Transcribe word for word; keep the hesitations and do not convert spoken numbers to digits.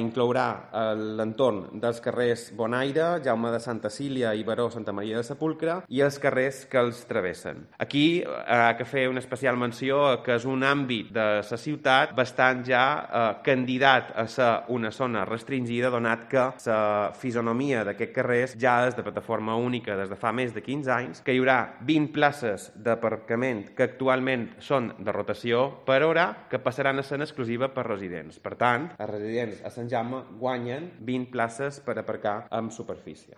Inclourà l'entorn dels carrers Bonaire, Jaume de Santa Cília i Baró Santa Maria de Sepulcre i els carrers que els travessen. Aquí ha que fer una especial menció que és un àmbit de la ciutat bastant ja eh, candidat a ser una zona restringida, donat que la fisonomia d'aquests carrers ja és de plataforma única des de fa més de quinze anys, que hi haurà vint places d'aparcament que actualment són de rotació per hora, que passaran a ser exclusiva per residents. Per tant, els residents a Sant Jaume guanyen vint places per aparcar amb superfície.